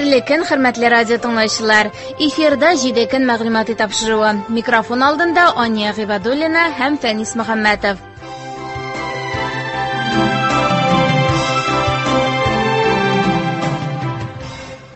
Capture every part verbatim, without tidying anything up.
Хәерле көн, хөрмәтле радио тыңлаучылар. Эфирда җиде көн мәгълүмати тапшыруы. Микрофон алдында Ания Гыйбадуллина һәм Фәнис Мөхәммәтов.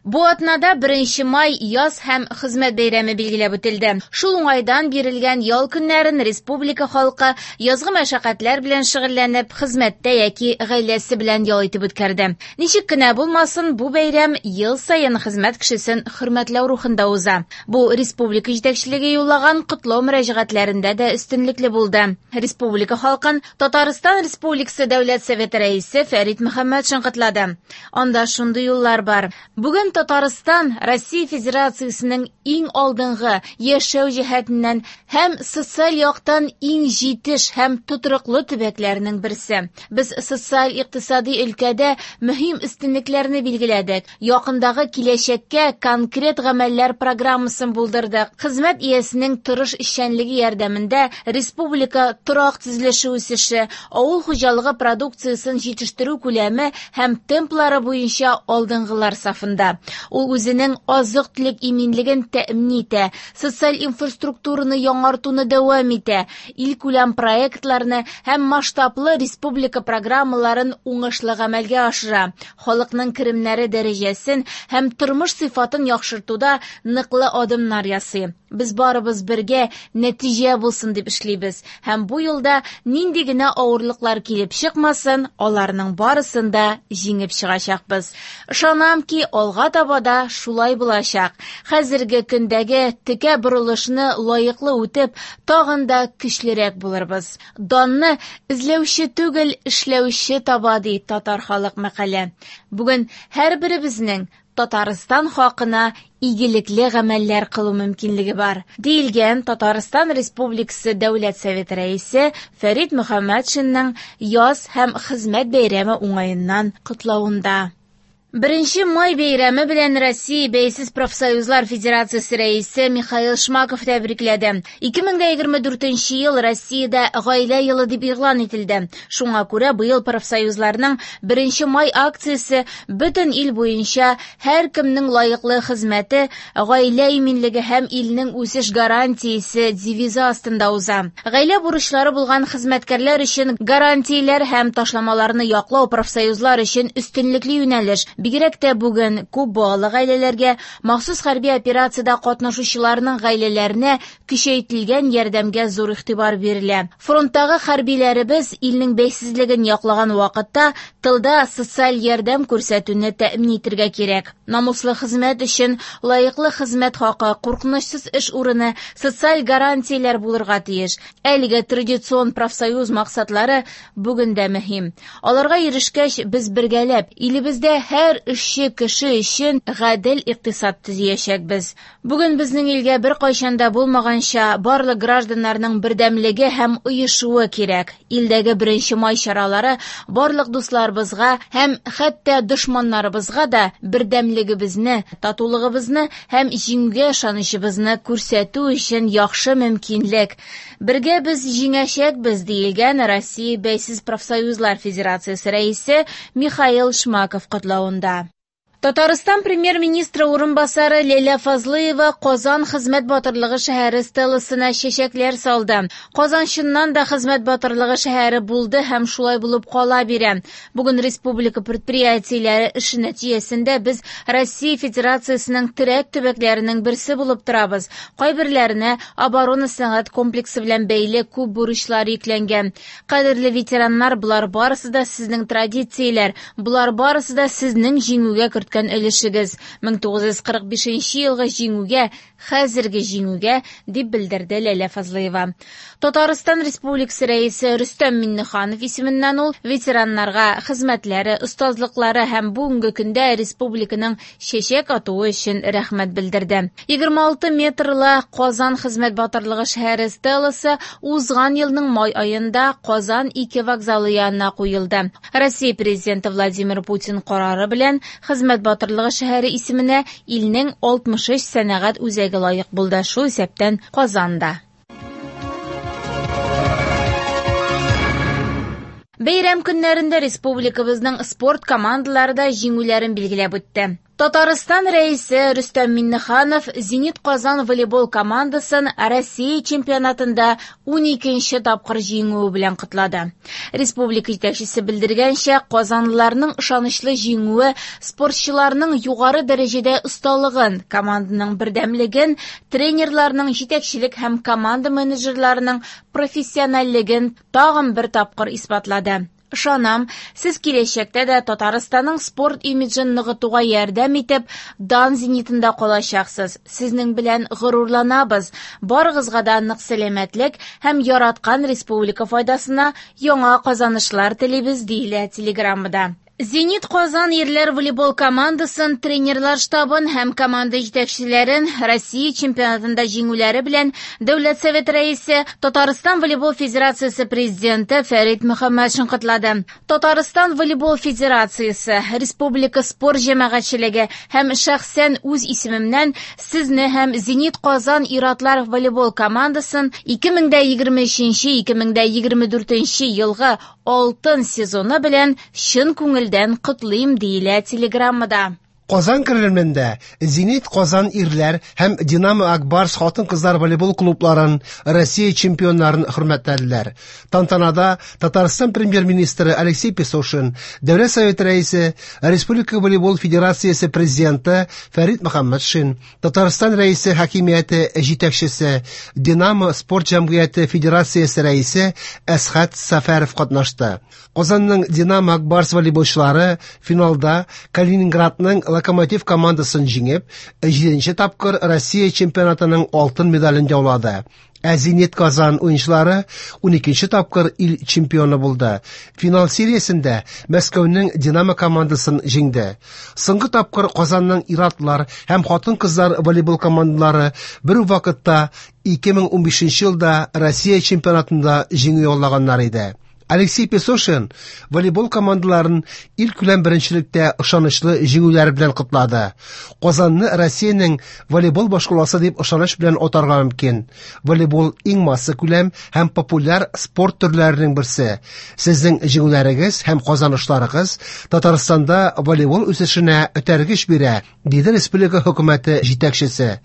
Бу атнада беренче май яз һәм хезмәт бәйрәме билгеләп үтелде. Шул уңайдан бирелгән ял көннәрен республика халкы язгы мәшәкатьләр белән шөгыльләнеп, хезмәттә яки гаиләсе белән ял итеп үткәрде. Ничек кенә булмасын, бу бәйрәм ел саен хезмәт кешесен хөрмәтләү рухында уза. Бу республика җитәкчелеге юллаган котлау мөрәҗәгатьләрендә дә өстенлекле булды. Республика халкын Татарстан Республикасы Дәүләт Советы рәисе Фәрит Мөхәммәтшин котлады. Анда шундый юллар бар. Бүген Татарстан Россия Федерациясенең иң алдынгы яшәү җәһәтеннән һәм социаль яктан иң җитеш һәм тотрыклы төбәкләренең берсе. Без социаль-икътисади өлкәдә мөһим өстенлекләрне билгеләдек. Якындагы киләчәккә конкрет гамәлләр программасын булдырдык. Хезмәт иясенең тырыш эшчәнлеге ярдәмендә республика торак төзелеше үсеше, авыл хуҗалыгы продукциясен җитештерү күләме һәм темплары буенча алдынгылар сафында. Ул үзенең азык-төлек иминлеген тәэмин итә, социаль инфраструктураны яңартуны дәвам итә, илкүләм проектларны һәм масштаблы республика программаларын уңышлы гамәлгә ашыра, халыкның керемнәре дәрәҗәсен һәм тормыш сыйфатын яхшыртуда ныклы адымнар ясый. Без барыбыз бергә нәтиҗә булсын дип эшлибез һәм бу юлда нинди генә авырлыклар килеп чыкмасын, аларның барысын да җиңеп чыгачакбыз. Ышанам ки, алга таба да шулай булачак. Хәзерге көндәге текә борылышны лаеклы үтеп, тагын да көчлерәк булырбыз. Данны эзләүче түгел, эшләүче таба, ди татар халык мәкале. Бүген һәрберебезнең Татарстан хакына игелекле гамәлләр кылу мөмкинлеге бар, диелгән Татарстан Республикасы Дәүләт Советы рәисе Фәрит Мөхәммәтшинның яз һәм хезмәт бәйрәме уңаеннан котлавында. Беренче май бәйрәме белән Россия Бәйсез профсоюзлар Федерациясе рәисе Михаил Шмаков тәбрикләде. ике мең егерме дүртенче ел Россиядә гаилә елы дип игълан ителде. Шуңа күрә быел профсоюзларның беренче май акциясе бөтен ил буенча һәркемнең лаеклы хезмәте, гаилә иминлеге һәм илнең үсеш гарантиясе девизы астында уза. Гаилә бурычлары булган хезмәткәрләр өчен гарантияләр һәм ташламаларны яклау профсоюзлар өчен өстенлекле юнәлеш. Бигрәк тә бүген күп балалы гаиләләргә, махсус хәрби операциядә катнашучыларның гаиләләренә көчәйтелгән ярдәмгә зур игътибар бирелә. Фронттагы хәрбиләребез илнең бәйсезлеген яклаган вакытта тылда социаль ярдәм күрсәтүне тәэмин итәргә кирәк. Намуслы хезмәт өчен лаеклы хезмәт хакы, куркынычсыз эш урыны, социаль гарантияләр булырга тиеш. Әлеге традицион профсоюз максатлары бүген дә мөһим. Аларга ирешкәч, без бергәләп илебездә һәр эшче кеше өчен гадел икътисад төзиячәкбез. Бүген безнең илгә беркайчан да булмаганча барлык гражданнарның бердәмлеге һәм оешуы кирәк. Илдәге беренче май чаралары барлык дусларыбызга һәм хәтта дошманнарыбызга да бердәмлегебезне, татулыгыбызны һәм җиңүгә ышанычыбызны күрсәтү өчен яхшы мөмкинлек. Бергә без җиңәчәкбез, диелгән Россия Бәйсез профсоюзлар Федерациясе рәисе Михаил Шмаков котлавында. Татарстан премьер-министры урынбасары Ләйлә Фазлыева Казан хезмәт батырлыгы шәһәре стеласына чәчәкләр салды. Казан чыннан да хезмәт батырлыгы шәһәре булды һәм шулай булып кала бирә. Бүген республика предприятиеләре эше нәтиҗәсендә без Россия Федерациясенең терәк төбәкләренең берсе булып торабыз. Кайберләренә оборона сәнәгать комплексы белән бәйле күп бурычлар йөкләнгән. Кадерле ветераннар, болар барысы да сезнең традицияләр, болар барысы да сезнең җиңүгә керткән өлешегез. мең тугыз йөз кырык бишенче елгы җиңүгә, хәзерге җиңүгә, дип белдерде Ләйлә Фазлыева. Татарстан Республикасы рәисе Рөстәм Миңнеханов исеменнән ул ветераннарга хезмәтләре, остазлыклары һәм бүгенге көндә республиканың чәчәк атуы өчен рәхмәт белдерде. Егерме алты метрлы Казан хезмәт батырлыгы шәһәре стеласы узган елның май аенда Казан ике вокзалы янына куелды. Россия президенты Владимир Путин карары белән хезмәт батырлыгы шәһәре исеменә илнең алтмыш өч сәнәгать үзәге лаек булды, шул исәптән Казанда. Бәйрәм көннәрендә республикабызның спорт командалары да җиңүләрен билгеләп үтте. Татарстан Рәисе Рөстәм Миңнеханов «Зенит Казан» волейбол командасын Россия чемпионатында уникенче тапкыр җиңүе белән котлады. Республика җитәкчесе белдергәнчә, казанлыларның ышанычлы җиңүе спортчыларның югары дәрәҗәдә осталыгын, команданың бердәмлеген, тренерларның җитәкчелек һәм команда менеджерларының профессиональлеген тагын бер тапкыр исбатлады. Ышанам, сез киләчәктә дә Татарстанның спорт имиджын ныгытуга ярдәм итеп, дан зенитында калачаксыз. Сезнең белән горурланабыз. Барыгызга да нык сәламәтлек һәм яраткан республика файдасына яңа казанышлар телибез, диелә телеграммада. «Зенит Казан» ирләр волейбол командасын, тренерлар штабын һәм команда җитәкчеләрен Россия чемпионатында җиңүләре белән Дәүләт Советы рәисе, Татарстан волейбол федерациясе президенты Фәрит Мөхәммәтшин котлады. Татарстан волейбол федерациясе, республика спорт җәмәгатьчелеге һәм шәхсән үз исемемнән сезне һәм «Зенит Казан» ир-атлар волейбол командасын ике мең дә егерме өченче - ике мең дә егерме дүртенче елгы алтын сезоны белән чын күңелдән котлыйм, диелә телеграммада. Казан Кремлендә «Зенит Казан» ирләр һәм «Динамо Акбарс» хатын-кызлар волейбол клубларын Россия чемпионнарын хөрмәтләделәр. Тантанада Татарстан премьер-министры Алексей Песошин, Дәүләт Советы рәисе, Республика волейбол федерациясе президенты Фәрит Мөхәммәтшин, Татарстан рәисе хакимияте җитәкчесе, «Динамо» спорт җәмгыяте федерациясе рәисе Әсхәт Сәфәров катнашты. Казанның «Динамо Акбарс» волейболчылары финалда Калининградның Локомотив командасын җиңеп, җиденче тапкыр Россия чемпионатының алтын медален яулады. Ә «Зенит Казан» уенчылары уникенче тапкыр ил чемпионы булды. Финал сериясендә Мәскәүнең «Динамо» командасын җиңде. Соңгы тапкыр Казанның ир-атлар һәм хатын-кызлар волейбол командалары бер үк вакытта ике мең унбишенче елда Россия чемпионатында җиңү яулаганнар иде. Алексей Песошин волейбол командаларын ил күләм беренчелектә ышанычлы җиңүләре белән котлады. Казанны Россиянең волейбол башкаласы дип ышаныч белән атарга мөмкин. Волейбол иң масса күләм һәм популяр спорт төрләренең берсе. Сезнең җиңүләрегез һәм казанышларыгыз Татарстанда волейбол үсешенә этәргеч бирә, диде республика хөкүмәте җитәкчесе.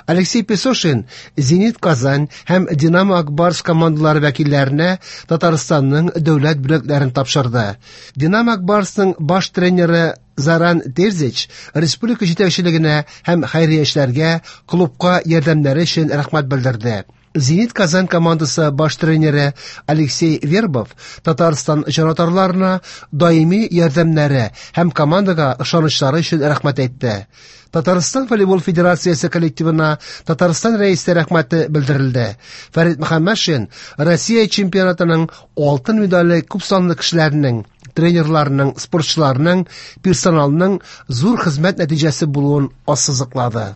Алексей Песошин «Зенит Казан» һәм «Динамо Акбарс» командалары вәкилләренә Татарстанның дәүләт бүләкләрен тапшырды. «Динамо Акбарсның» баш тренеры Заран Терзич республика җитәкчелегенә һәм хәйриячеләргә клубка ярдәмнәре өчен рәхмәт белдерде. «Зенит Казан» командасы баш тренеры Алексей Вербов Татарстан җанатарларына даими ярдәмнәре һәм командага ышанычлары өчен рәхмәт әйтте. Татарстан волейбол федерациясе коллективына Татарстан рәисе рәхмәте белдерелде. Фәрит Мөхәммәтшин Россия чемпионатының алтын медале күп санлы кешеләрнең, тренерларның, спортчыларның, персоналның зур хезмәт нәтиҗәсе булуын ассызыклады.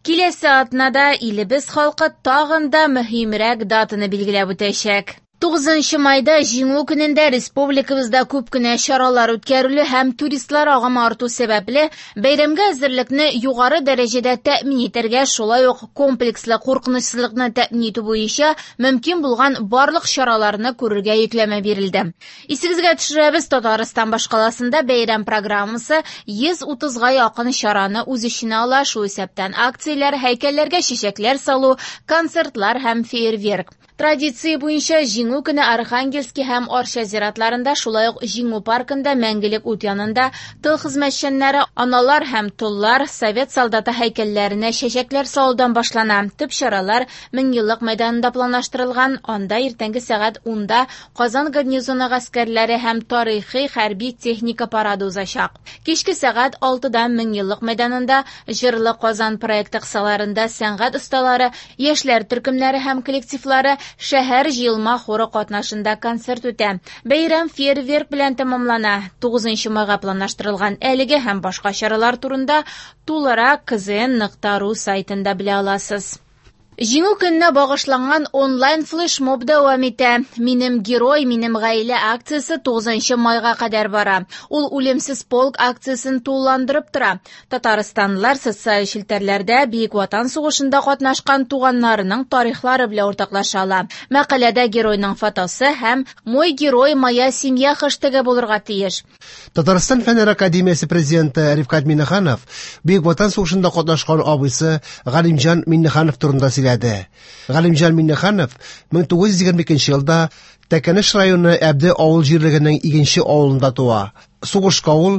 Киләсе атнада илебез халкы тагын да мөһимрәк датаны билгеләп үтәчәк. Тугызынчы майда Җиңү көнендә республикабызда күп кенә чаралар үткәрелү һәм туристлар агымы арту сәбәпле бәйрәмгә әзерлекне югары дәрәҗәдә тәэмин итәргә, шулай ук комплекслы куркынычсызлыкны тәэмин итү буенча мөмкин булган барлык чараларны күрергә йөкләмә бирелде. Исегезгә төшерәбез, Татарстан башкаласында бәйрәм программасы йөз утызга якын чараны үз эченә ала, шул исәптән акцияләр, һәйкәлләргә чәчәкләр салу, концертлар һәм фейерверк. Традиция буенча Җиңү көне Архангельский һәм Арча зиратларында, шулай ук Җиңү паркында мәңгелек ут янында тыл хезмәтчәннәре, аналар һәм толлар, совет солдаты һәйкәлләренә чәчәкләр салудан башлана. Төп чаралар Меңьеллык мәйданында планлаштырылган. Анда иртәнге сәгать унда Казан гарнизоны гаскәрләре һәм тарихи хәрби техника парады узачак. Кичке сәгать алтыда Меңьеллык мәйданында Җырлы Казан проекты кысаларында сәнгать осталары, яшьләр төркемнәре һәм коллективлары шәһәр җыелма хоры катнашында концерт үтә. Бәйрәм фейерверк белән тәмамлана. Тугызынчы майга планлаштырылган әлеге һәм башка чаралар турында тулырак кзн нокта ру сайтында белә аласыз. Җиңү көненә багышланган онлайн флешмоб дәвам итә. Минем герой, минем гаилә акциясе тугызынчы майга кадәр бара. Ул үлемсез полк акциясен тулыландырып тора. Татарстанлылар социаль челтәрләрдә Бөек Ватан сугышында катнашкан туганнарының тарихлары белән уртаклаша ала. Мәкаләдә геройның фотосы һәм «Мой герой, моя семья» хэштегы булырга тиеш. Татарстан Фәннәр академиясе президенты Рифкать Миңнеханов Бөек Ватан сугышында катнашкан абыйсы Галимҗан Миңнеханов турында сөйләде. Галимҗан Миңнеханов мең тугыз йөз егерме икенче елда Тәкәнеш районы Әбде авыл җирлегенең икенче авылында туа. Сугышка ул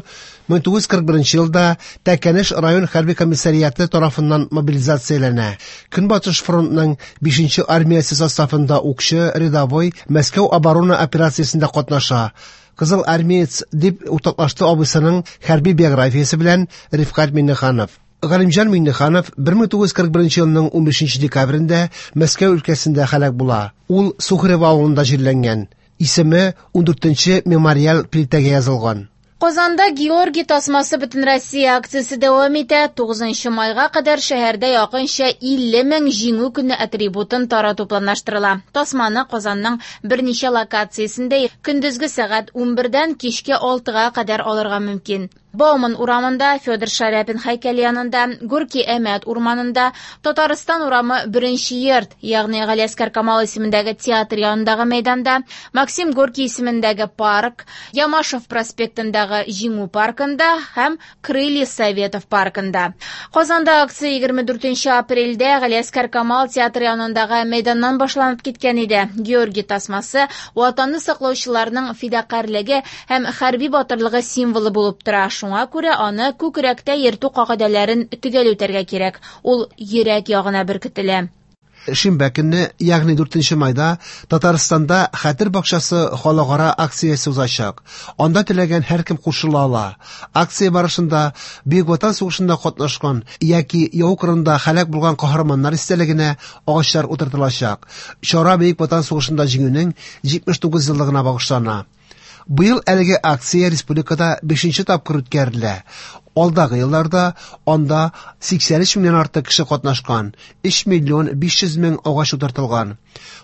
мең тугыз йөз кырык беренче елда Тәкәнеш район хәрби комиссариаты тарафыннан мобилизацияләнә. Көнбатыш фронтның бишенче армиясе составында укчы, рядовой Мәскәү оборона операциясендә катнаша. Кызыл армеец дип уртаклашты абыйсының хәрби биографиясе белән Рифкать Миңнеханов. Галимҗан Миңнеханов бер мең тугыз йөз кырык беренче елның унбишенче декабрендә Мәскәү өлкәсендә һәлак була. Ул Сухарево авылында җирләнгән. Исеме ундүртенче мемориаль плитәгә язылган. Казанда Георгий тасмасы Бөтенроссия акциясе дәвам итә. Тугызынчы майга кадәр шәһәрдә якынча илле мең җиңү көне атрибутын тарату планлаштырыла. Тасманы Казанның берничә локациясендә көндезге сәгать унбердән кичке алтыга кадәр алырга мөмкин. Бауман урамында, Федор Шаляпин һәйкәле янында, Горький Әмәт урманында, Татарстан урамы беренче йорт, ягъни Галиәсгар Камал исемендәге театр янындагы мәйданда, Максим Горький исемендәге парк, Ямашев проспектындагы Җиңү паркында һәм Крылья Советов паркында. Казанда акция егерме дүртенче апрельдә Галиәсгар Камал театры янындагы мәйданнан башланып киткән иде. Георгий тасмасы Ватанны саклаучыларның фидакарьлеге һәм хәрби батырлыгы символы булып тора. Шуңа күрә аны күкрәктә йөртү кагыйдәләрен төгәл үтәргә кирәк. Ул йөрәк ягына беркетелә. Шимбә көнне, ягъни дүртенче майда, Татарстанда Хәтер бакчасы халыкара акциясе узачак. Анда теләгән һәркем кушыла ала. Акция барышында Бөек Ватан сугышында катнашкан яки яу кырында һәлак булган каһарманнар истәлегенә агачлар утыртылачак. Чара Бөек Ватан сугышында җиңүнең җитмеш тугыз еллыгына багышлана. Быел әлеге акция республикада бишенче тапкыр үткәрелә. Алдагы елларда анда сиксән өч меңнән артык кеше катнашкан, өч миллион биш йөз мең агач утыртылган.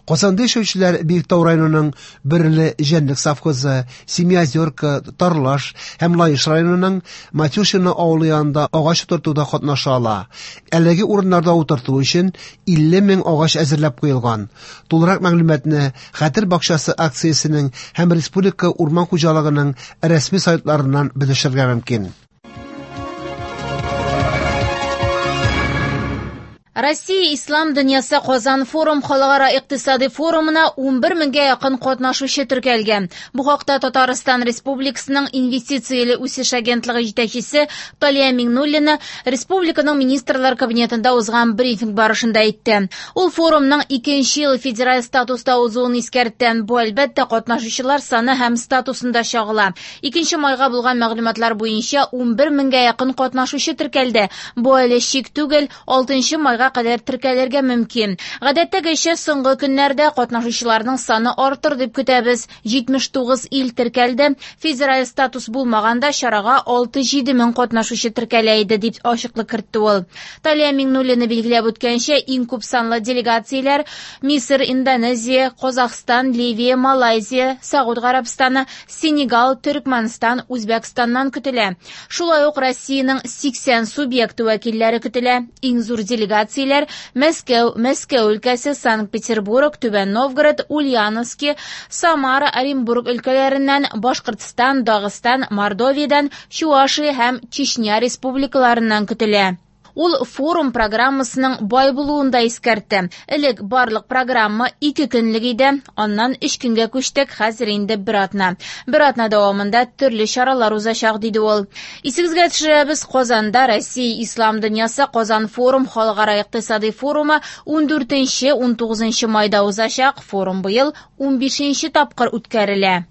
Казанда яшәүчеләр Биектау районының Бөрле җәнлек совхозы, Семиозерка, Тарлаш һәм Лаеш районының Матюшино авылы янында агач утыртуда катнаша ала. Әлеге урыннарда утырту өчен илле мең агач әзерләп куелган. Тулырак мәгълүматны Хәтер бакчасы акциясенең һәм Республика урман хуҗалыгының рәсми сайтларыннан белешергә мөмкин. Россия Ислам дөньясы Казан форум халыкара икътисади форумына унбер меңгә якын катнашучы теркәлгән. Бу хакта Татарстан Республикасының инвестицияле үсеш агентлыгы җитәкчесе Талия Миңнуллина республиканың министрлар кабинетында узган брифинг барышында әйтте. Ул форумның икенче ел федераль статуста узуын искәртте. Бу әлбәттә катнашучылар саны һәм статусында чагыла. Икенче майга булган мәгълүматлар буенча унбер меңгә якын катнашучы теркәлде. Бу әле чик түгел, алтынчы майга кадәр теркәлергә мөмкин. Гадәттәгечә соңгы көннәрдә катнашучыларның саны артыр дип көтәбез. Җитмеш тугыз ил теркәлде. Федераль статус булмаганда чарага алты-җиде мең катнашучы теркәлә иде, дип ачыклык кертте ул. Талия Миңнуллина билгеләп үткәнчә, иң күп санлы делегацияләр Мисыр, Индонезия, Казахстан, Ливия, Малайзия, Сауд Гарәбстаны, Сенегал, Төркмәнстан, Үзбәкстаннан көтелә. Шулай ук Россиянең сиксән субъекты вәкилләре көтелә. Иң зур делегация Мәскәү, Мәскәү өлкәсе, Санкт-Петербург, Түбән Новгород, Ульяновски, Самара, Оренбург өлкәләреннән, Башкортстан, Дагыстан, Мордовиядән, Чувашия һәм Чечня республикаларыннан көтелә. Ул форум программасының бай булуын да искәртте. Элек барлык программа ике көнлек иде, аннан өч көнгә күчтек, хәзер инде бер атна. Бер атна дәвамында төрле чаралар узачак, диде ул. Исегезгә төшерәбез, Казанда Россия Ислам дөньясы Казан форум халыкара икътисади форумы ундүртенче, унтугызынчы майда узачак. Форум быел унбишенче тапкыр үткәрелә.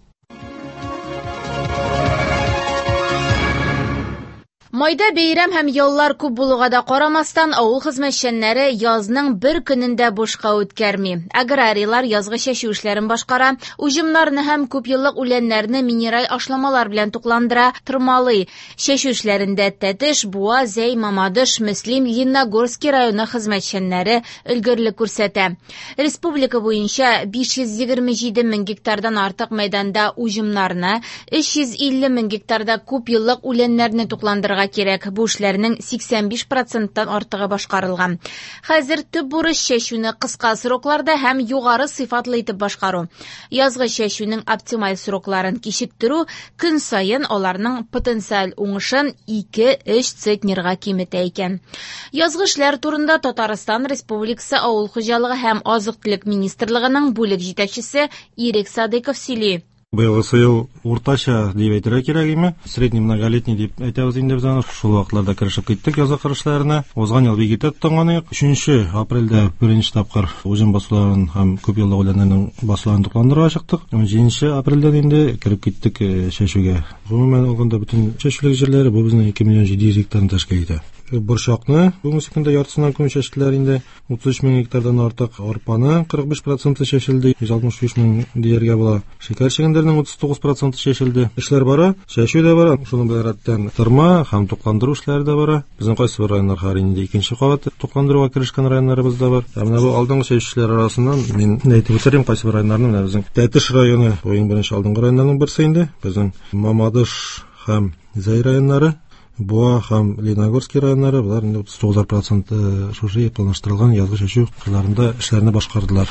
Майда бәйрәм һәм яллар күп булуга да карамастан, авыл хезмәтчәннәре язның бер көнен дә бушка үткәрми. Аграрийлар язгы чәчү эшләрен башкара, уҗымнарны һәм күпьеллык үләннәрне минераль ашламалар белән тукландыра, тырмалый. Чәчү эшләрендә Тәтеш, Буа, Зәй, Мамадыш, Мөслим, Лениногорский районы хезмәтчәннәре өлгерлек күрсәтә. Республика буенча биш йөз егерме җиде мең гектардан артык мәйданда уҗымнарны, өч йөз илле мең гектарда күпьеллык үләннәрне тукландырырга кирәк. Бу эшләрнең сиксән биш проценттан артыгы башкарылган. Хәзер төп бурыч чәчүне кыска срокларда һәм югары сыйфатлы итеп башкару. Язгы чәчүнең оптималь срокларын кичектерү көн саен аларның потенциаль уңышын ике-өч центнерга киметә икән. Язгы эшләр турында Татарстан Республикасы Авыл хуҗалыгы һәм азык-төлек министрлыгының бүлек җитәкчесе Ирек Садыков сөйли. Быелгысы ел уртача дип әйтергә кирәк име? Средний многолетний дип әйтәбез инде без аны. Шул вакытларда керешеп киттек язгы кыр эшләренә. Узган ел бик иртә тотынган идек. Өченче апрельдә беренче тапкыр уҗым басуларын һәм күп еллык үләннәрнең басуларын тукландырырга чыктык. Унҗиденче апрельдән инде кереп киттек, э, чәчүгә. Гомумән алганда бөтен чәчүлек җирләре бу безнең ике миллион җиде йөз гектарны тәшкил итә. Борчакны бүгенге көндә яртысыннан күп чәчтеләр инде. Утыз өч мең гектардан артык арпаны кырык биш проценты чәчелде, йөз алтмыш биш мең дияргә була. Шикәр чөгендеренең утыз тугыз проценты чәчелде. Эшләр бара, чәчү дә бара, шуның белән рәттән тырма һәм тукландыру эшләре дә бара. Безнең кайсы бер районнар хәзер инде икенче кабат тукландыруга керешкән районнарыбыз да бар. Ә менә бу алдынгы чәчүчеләр арасыннан мин әйтеп үтерим кайсы бер районнарны. Менә безнең Тәтеш районы, бу иң беренче алдынгы районнарның берсе инде. Безнең Мамадыш һәм Зәй районнары, Буа һәм Лениногорский районнары, болар инде утыз тугыз процент, э, шушы планлаштырылган язгы чәчү кырларында эшләрне башкардылар.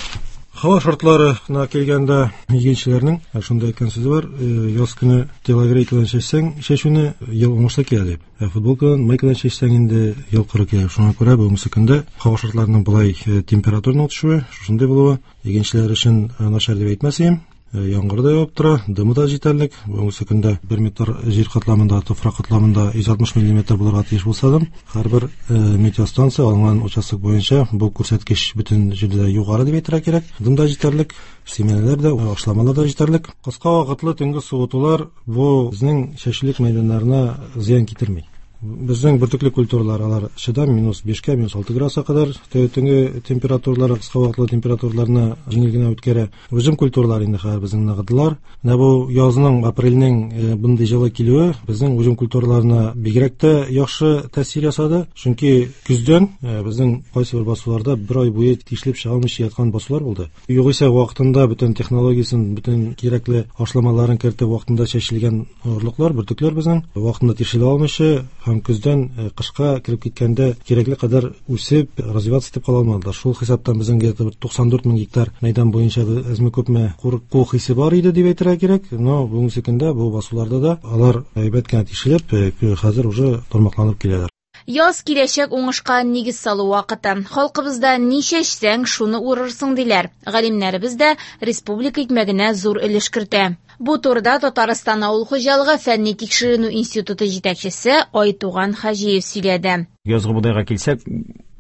Һава шартларына килгәндә, игенчеләрнең шундай әйткән сүзе бар, э, яз көне телогрейка белән чәчсәң, чәчүне ел уңышлы килә дип. Ә футболка белән, майка белән чәчсәң инде ел коры килә. Шуңа күрә бүгенге көндә һава шартларының болай, э, температураның төшүе, шушындый булуы игенчеләр өчен, э, начар дип әйтмәс идем. Э, яңгыр да явып тора, дымы да җитәрлек. Бүгенге көндә бер метр җир катламында, туфрак катламында йөз алтмыш миллиметр булырга тиеш булса да, һәрбер, э, метеостанция алынган участок буенча бу күрсәткеч бөтен җирдә югары дип әйтергә кирәк. Дым да җитәрлек, семеннәр дә, ашламалар да җитәрлек. Кыска вакытлы төнге суытулар бу безнең чәчүлек мәйданнарына зыян китерми. Безнең бөртекле культуралар алар чыдам минус бишкә, минус алты градуска кадәр төнге температуралар, кыска вакытлы температураларны җиңел генә үткәрә. Уҗым культуралар инде хәзер безнең ныгыдылар. Менә бу язның, апрельнең, э, бундый җылы килүе безнең уҗым культураларына бигрәк тә яхшы тәэсир ясады. Чөнки көздән, э, безнең кайсы бер басуларда бер ай буе тишелеп чыга алмыйча яткан басулар булды. Югыйсә вакытында бөтен технологиясен, бөтен кирәкле ашламаларын кертеп вакытында чәчелгән орлыклар, бөртекләр безнең вакытында тишелә алмыйча һәм көздән, э, кышка кереп киткәндә кирәкле кадәр үсеп, развиваться итеп кала алмадылар. Шул хисаптан безнең где-то бер туксан дүрт мең гектар мәйдан буенча әзме күпме курку хисе бар иде дип әйтергә кирәк. Но бүгенге көндә бу басуларда да алар әйбәт кенә тишелеп, э, хәзер уже тармакланып киләләр. Яз киләчәк уңышка нигез салу вакыты. Халкыбызда ни чәчсәң, шуны урырсың диләр. Галимнәребез дә республика икмәгенә зур өлеш кертә. Бу турыда Татарстан Авыл хуҗалыгы фәнни тикшеренү институты җитәкчесе Айтуган Хаҗиев сөйләде. Язгы бодайга килсәк,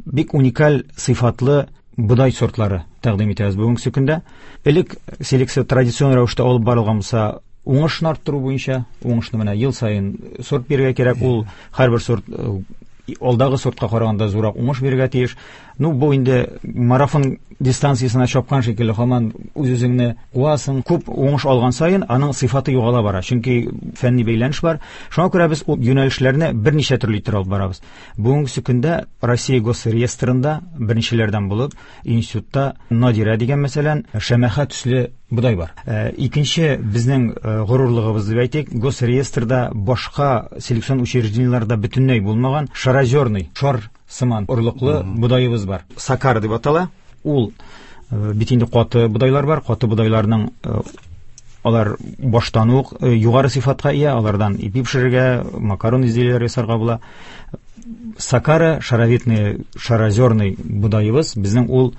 бик уникаль сыйфатлы бодай сортлары тәкъдим итәбез бүгенге көндә. Элек селекция традицион рәвештә алып барылган булса, уңышны арттыру буенча, уңышны менә ел саен сорт бирергә кирәк, ул һәрбер сорт, э, алдагы сортка караганда зуррак уңыш бирергә тиеш. Ну, бу инде марафон дистанциясенә чапкан шикелле, һаман үз-үзеңне куасың. Күп уңыш алган саен аның сыйфаты югала бара, чөнки фәнни бәйләнеш бар. Шуңа күрә без ул юнәлешләрне берничә төрле итеп алып барабыз. Бүгенге көндә Россия Госреестрында беренчеләрдән булып институтта Надира дигән, мәсәлән, шәмәхә төсле бодай бар. Э, икенче безнең, э, горурлыгыбыз дип әйтик, Госреестрда башка селекцион учреждениеләрдә бөтенләй булмаган шарозерный, шар сыман орлыклы Мгм. бодаебыз бар. Сакар дип атала. Ул, э, бит инде каты бодайлар бар. Каты бодайларның, э, алар баштан ук, э, югары сыйфатка ия, алардан ипи пешерергә, макарон изделиеләре ясарга була. Сакара шаровидный, шарозерный бодаебыз безнең ул,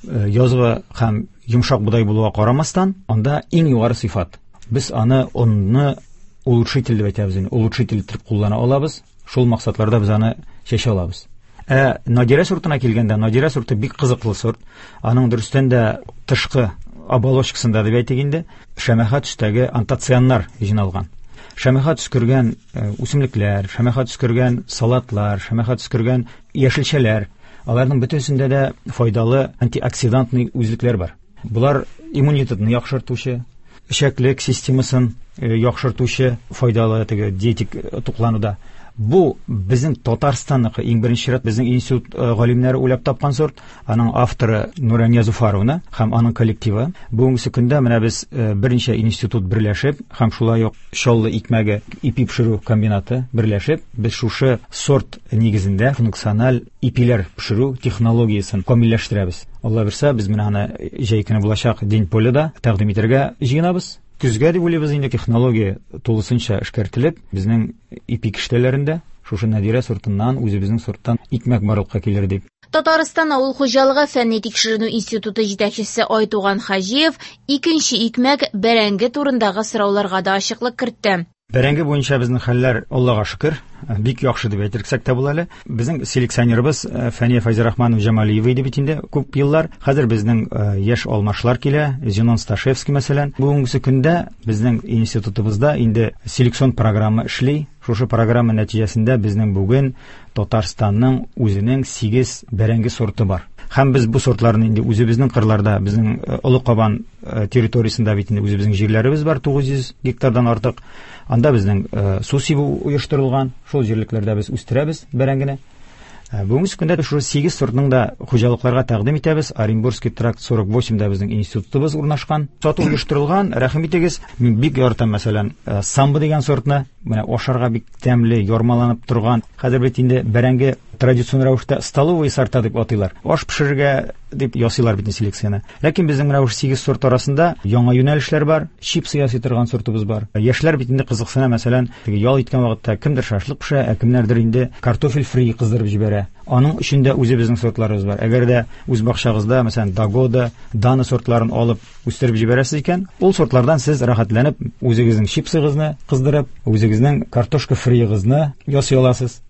э, язгы һәм йомшак бодай булуга карамастан, анда иң югары сыйфат. Без аны онны улучшитель дип әйтәбез инде, улучшитель итеп куллана алабыз. Шул максатларда без аны чәчә алабыз. Ә Надира сортына килгәндә, Надира сорты бик кызыклы сорт. Аның дөрестән дә тышкы оболочкасында дип әйтик инде, шәмәхә төстәге антоцианнар җыйналган. Шәмәхә төс кергән үсемлекләр, шәмәхә төс кергән салатлар, шәмәхә төс кергән яшелчәләр, аларның бөтенесендә дә файдалы антиоксидантный үзлекләр бар. Булар иммунитетны яхшыртучы, эчәклек системасын яхшыртучы файдалы теге диетик туклануда. Бу безнең Татарстанныкы, иң беренче рәт безнең институт галимнәре уйлап тапкан сорт, аның авторы Нурания Зуфаровна һәм аның коллективы. Бүгенге көндә менә без берничә институт берләшеп һәм шулай ук Чаллы икмәге ипи пешерү комбинаты берләшеп, без шушы сорт нигезендә функциональ ипиләр пешерү технологиясен камилләштерәбез. Алла бирсә, без менә аны җәй көне булачак День поляда тәкъдим итәргә җыенабыз. Көзгә дип уйлыйбыз инде, технология тулысынча эшкәртелеп, безнең ипи киштәләрендә шушы Надирә сортыннан, үзебезнең сорттан икмәк барлыкка килер дип. Татарстан авыл хуҗалыгы фәнни тикшеренү институты җитәкчесе Айтуган Хаҗиев икенче икмәк бәрәңге турындагы сорауларга да ачыклык кертте. Бәрәңге буенча безнең хәлләр, Аллага шөкер, бик яхшы дип әйтсәк тә була әле. Безнең селекционерыбыз Фәния Фәйзрахманова Җамалиева иде бит инде күп еллар. Хәзер безнең яшь алмашлар килә, Зенон Сташевский мәсәлән. Бүгенге көндә безнең институтыбызда инде селекцион программа эшли. Шушы программа нәтиҗәсендә безнең бүген Татарстанның үзенең сигез бәрәңге сорты бар. Һәм без бу сортларны инде үзебезнең кырларда, безнең Олы Кабан территориясендә бит инде үзебезнең җирләребез бар, тугыз йөз гектардан артык. Анда безнең су сибү оештырылган, шул җирлекләрдә без үстерәбез бәрәңгене. Бүгенге көндә шушы сигез сортның да хуҗалыкларга тәкъдим итәбез. Оренбургский тракт сорок восемь да безнең институтыбыз урнашкан. Сату оештырылган, рәхим итегез. Мин бик яратам, мәсәлән, самбо дигән сортны. Менә ашарга бик тәмле, ярмаланып торган. Хәзер бит инде бәрәңге традицион рәвештә столовый сорта дип атыйлар. Аш пешерергә дип ясыйлар бит селекцияне. Ләкин безнең менә шушы сигез сорт арасында яңа юнәлешләр бар, чипсы ясый торган сортыбыз бар. Яшьләр бит инде кызыксына, мәсәлән, теге ял иткән вакытта кемдер шашлык пешерә, ә кемнәрдер инде картофель фри кыздырып җибәрә. Аның өчен дә үзебезнең сортларыбыз бар. Әгәр дә үз бакчагызда, мәсәлән, Дагода, Дана сортларын алып үстереп җибәрәсез икән, ул сортлардан сез рәхәтләнеп үзегезнең чипсыгызны кыздырып, үзегезнең картошка фриегызны ясый аласыз.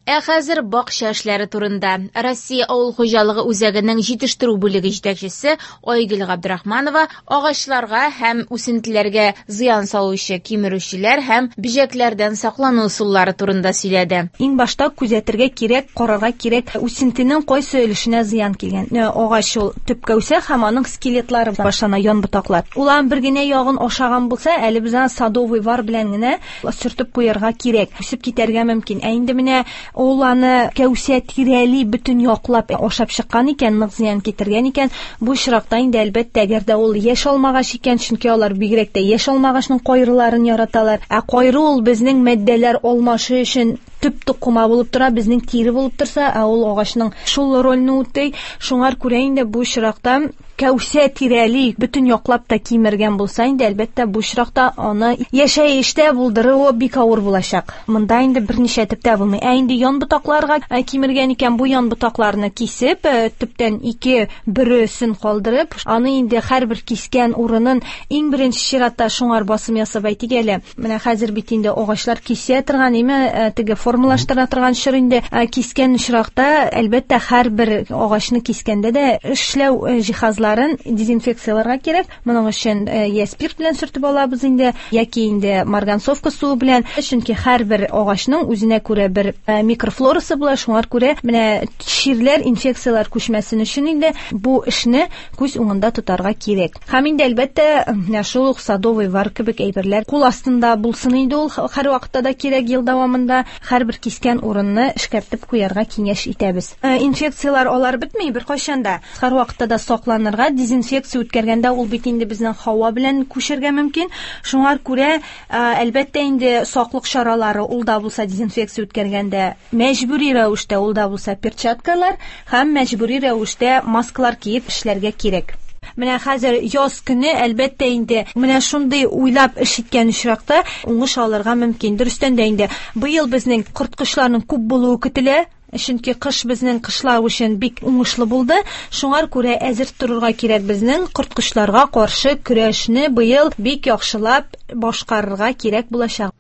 Ә хәзер бакча эшләре турында. Россия авыл хуҗалыгы үзәгенең җитештерү бүлеге җитәкчесе Айгөл Габдрахманова агачларга һәм үсентеләргә зыян салучы кимерүчеләр һәм бөҗәкләрдән саклану ысуллары турында сөйләде. Иң башта күзәтергә кирәк, карарга кирәк, үсентенең кайсы өлешенә зыян килгән. Агач ул төпкә үсә һәм аның скелетлары башлана, ян ботаклар. Ул аның бер генә ягын ашаган булса, әле без аны садовый вар белән генә сөртеп куярга кирәк. Үсеп китәргә мөмкин. Ә инде менә ул аны кәүсә тирәли бөтен яклап ашап чыккан икән, нык зыян китергән икән, бу очракта инде әлбәттә, әгәр дә ул яшь алмагач икән, чөнки алар бигрәк тә яшь алмагачның кайрыларын яраталар. Ә кайры ул безнең матдәләр алмашы өчен төп тукыма булып тора, безнең тире булып торса, ә ул агачның шул рольне үти. Шуңар күрә инде бу очракта кәүсә тирәли бөтен яклап та кимергән булса, инде әлбәттә бу очракта аны яшәештә булдыруы бик авыр булачак. Монда инде берничә төптә булмый. Ә инде ян ботакларга кимергән икән, бу ян ботакларны кисеп, төптән ике бөресен калдырып, аны инде һәрбер кискән урынын иң беренче чиратта шуңар басым ясап әйтик әле. Менә хәзер бит инде агачлар кисә торган, име, теге формалаштыра торган чор инде. Кискән очракта әлбәттә һәрбер агачны кискәндә дә эшләү җиһазларын дезинфекцияләргә кирәк. Моның өчен я спирт белән сөртеп алабыз инде, яки инде марганцовка суы белән, чөнки һәрбер агачның үзенә күрә бер микрофлорасы була, шуңар күрә менә чирләр, инфекцияләр күчмәсен өчен инде бу эшне күз уңында тотарга кирәк. Һәм инде әлбәттә менә шул ук садовый вар кебек әйберләр кул астында булсын инде, ул һәр вакытта да кирәк, ел дәвамында һәрбер кискән урынны эшкәртеп куярга киңәш итәбез. Инфекцияләр алар бетми беркайчан да. Һәр вакытта да сакланырга, дезинфекция үткәргәндә ул бит инде безнең һава белән күчергә мөмкин. Шуңар күрә әлбәттә инде саклык чаралары ул да булса дезинфекция үткәргәндә мәҗбүри рәвештә ул да булса перчаткалар һәм мәҗбүри рәвештә маскалар киеп эшләргә кирәк. Менә хәзер яз көне әлбәттә инде менә шундый уйлап эш иткән очракта уңыш алырга мөмкин. Дөрестән дә инде быел безнең корткычларның күп булуы көтелә. Чөнки кыш безнең кышлау өчен бик уңышлы булды. Шуңар күрә әзер торырга кирәк, безнең корткычларга каршы көрәшне быел бик яхшылап башкарырга кирәк булачак.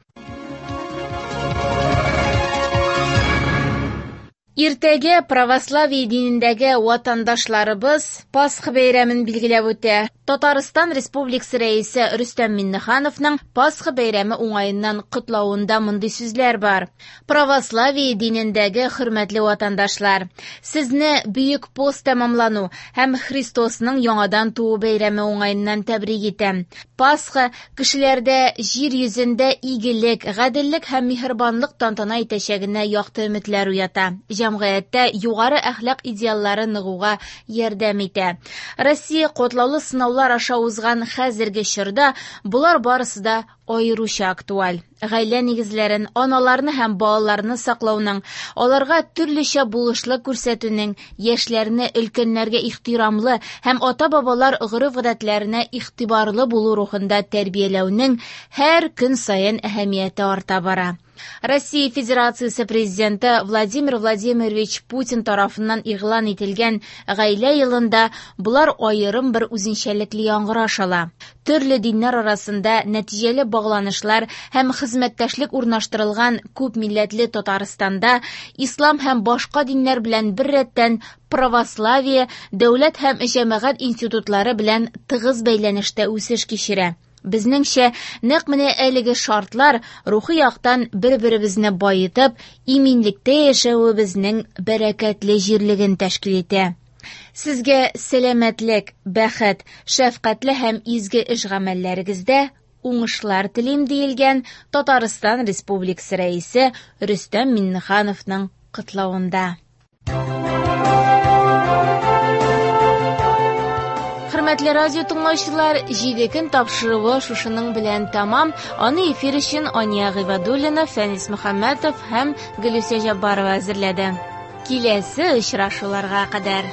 Иртәгә православие динендәге ватандашларыбыз Пасха бәйрәмен билгеләп үтә. Татарстан Республикасы Рәисе Рөстәм Миңнехановның Пасха бәйрәме уңаеннан котлавында мондый сүзләр бар. Православие динендәге хөрмәтле ватандашлар, сезне Бөек пост тәмамлану һәм Христосның яңадан туу бәйрәме уңаеннан тәбрик итәм. Пасха кешеләрдә җир йөзендә игелек, гаделлек һәм миһербанлык тантана итәчәгенә якты өметләр уята. Җәмгыятьтә югары әхлак идеаллары ныгуга ярдәм итә. Россия котлаулы сынаулар аша узган хәзерге чорда болар барысы да аеруча актуаль. Гаилә нигезләрен, аналарны һәм балаларны саклауның, аларга төрлечә булышлык күрсәтүнең, яшьләрне өлкәннәргә ихтирамлы һәм ата-бабалар гореф-гадәтләренә игътибарлы булу рухында тәрбияләүнең һәр көн саен әһәмияте арта бара. Россия Федерациясе Президенты Владимир Владимирович Путин тарафыннан игълан ителгән гаилә елында болар аерым бер үзенчәлекле яңгыраш ала. Төрле диннәр арасында нәтиҗәле багланышлар һәм хезмәттәшлек урнаштырылган күп милләтле Татарстанда ислам һәм башка диннәр белән беррәттән православие, дәүләт һәм җәмәгать институтлары белән тыгыз бәйләнештә үсеш кичерә. Безнеңчә, нәкъ менә әлеге шартлар рухи яктан бер-беребезне байытып, иминлектә яшәвебезнең бәрәкәтле җирлеген тәшкил итә. Сезгә сәламәтлек, бәхет, шәфкатьле һәм изге эш гамәлләрегездә уңышлар телим, диелгән Татарстан Республикасы Рәисе Рөстәм Миңнехановның котлавында. Хөрмәтле радио тыңлаучылар, җиде көн тапшыруы шушының белән тәмам. Аны эфир өчен Ания Гыйбадуллина, Фәнис Мөхәммәтов һәм Гөлүсә Җаббарова әзерләде. Киләсе очрашуларга кадәр.